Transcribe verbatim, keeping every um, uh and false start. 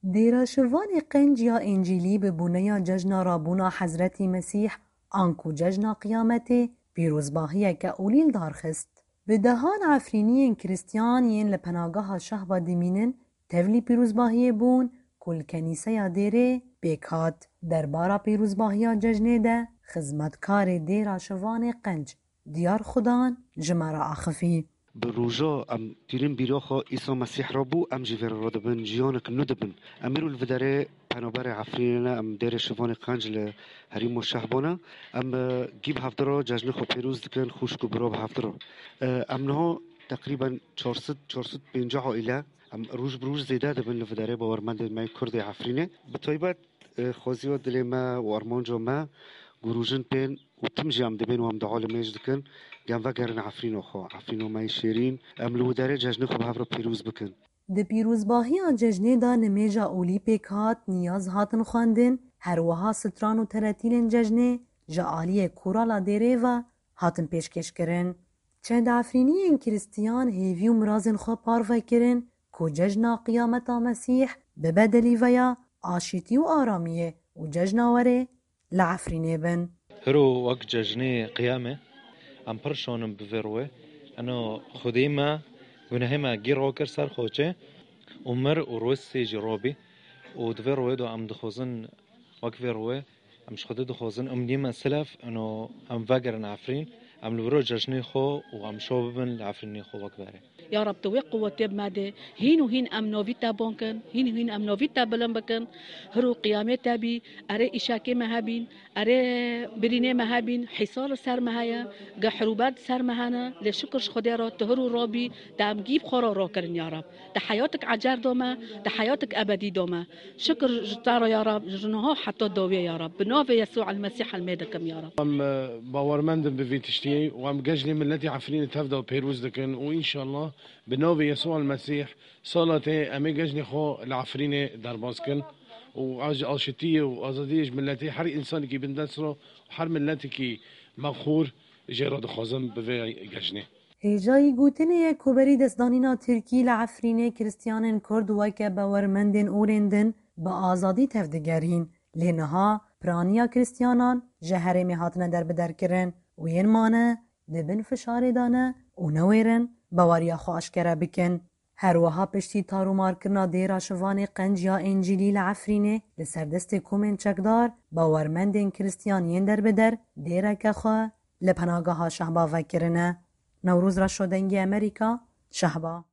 Dêra Şivanê Qenc ya Încîlî bi boneya cejna rabûna Hezretî Mesîh, anku cejna Qiyametê, pîrozbahiyeke olî li dar xist. Bi dehan Efrîniyên Krîstiyan yên li penageha Şehba dimînin, tevlî pîrozbahiyê bûn ku li kenîseya dêrê pêk hat. Derbara pîrozbahiya cejnê de xizmetkarê Dêra Şivanê Qenc Diyar Xudan ji me re axifî. Bi roja em tînin bîra xwe Îsa Mesîh re bû, em jî vê re radibin, jiyanek nû dibin. Em îro li vê derê penaberê Efrînê ne, em dêrê Şivanê Qenc li herêma Şehba ne. Em, e, gî bi hevdi re cejnê xwe pêroz dikin, xwişk û bira bi hevdi re. E, em niha teqrîben çar sed, çar sed pêncî aîle, em roj bi roj zêde dibin li vê derê bawermendên me yê Kurdê Efrînê. Bi taybet, e, xwaziya dilê me û armanca me ku rojin tên û tim jî em dibên û em dua li mêj dikin, ku em vegerin Efrîna xwe, Efrîna me yê şêrîn, em li wê derê cejnê xwe bi hev re pîroz bikin. Di pîrozbahiya cejnê de nimêja olî pêk hat, niyaz hatin xwendin, her wiha stran û teretîlên cejnê ji aliyê Korala Dêrê ve hatin pêşkêşkirin. Çend Efrîniyên Krîstiyan hêvî û mirazên xwe parve kirin ku cejna Qiyameta Mesîh bibe delîveya aşîtî û aramiyê û cejna werê li Efrînê bin. Hiro wek cejnê qiyamê, em pir şanim bi vê rûyê. Eno Xwedê me gunehê me gî rakir ser xaçê û mir û roj sê jî rabî û di vê rûyê de em dixwazin wek vê rûyê em ji Xwedê dixwazin em nîme silef eno em vegerin Efrîn, em li viro cejnê xwe û em şo bibin li Efrînê xwe wek berê. Ya Rab, tu wê quwetê bi me de, hîn û hîn em navî te ban kin, hîn û hîn em navî te bilind bikin. Hiro qiyamê te bî, erê îşekê me hebîn, erê birînê me hebîn, hîsar li ser me heye, ge hirûber di ser me hene, lê şikir ji Xwedê re tu hiro rabî, te em gî bi xwe re rakirin ya Rab. Te heyatik ecer da me, te heyatik ebedî da me. Şikir ji te re ya Rab, ji niha heta dawiyê ya Rab. Bi navê Yesû el Mesîh em ê dikim ya Rab. Em, e, bawermend in bi vî tiştiyê û em cejnê miletê Efrînê tev de pêroz dikin û înşallah bi navê Yesû el Mesîh sala tê em ê cejnê xwe li Efrînê derbas kin û ez ji aşitiyê û azadiyê ji miletê her însanekî bin dest re û her miletekî me xor jê re dixwazim bi vê cejnê. Hêjayî gotinê ye ku berî destdanîna Tirkî li Efrînê Krîstiyanên Kurd weke bawermendên olên din bi azadî tevdigerîn. Lê niha piraniya Krîstiyanan ji herêmê hatine derbiderkirin û yên mane di bin fişarê de ne û newêrin baweriya xwe aşkere bikin. Her wiha piştî tarûmarkirina dêra Şivanê Qenc ya Încîlî li Efrînê li ser destê komên çekdar, bawermendên Krîstiyan yên derbider dêreke xwe li penageha Şehba vekirine. Newroz Reşo, Dengê Amerîka, Şehba.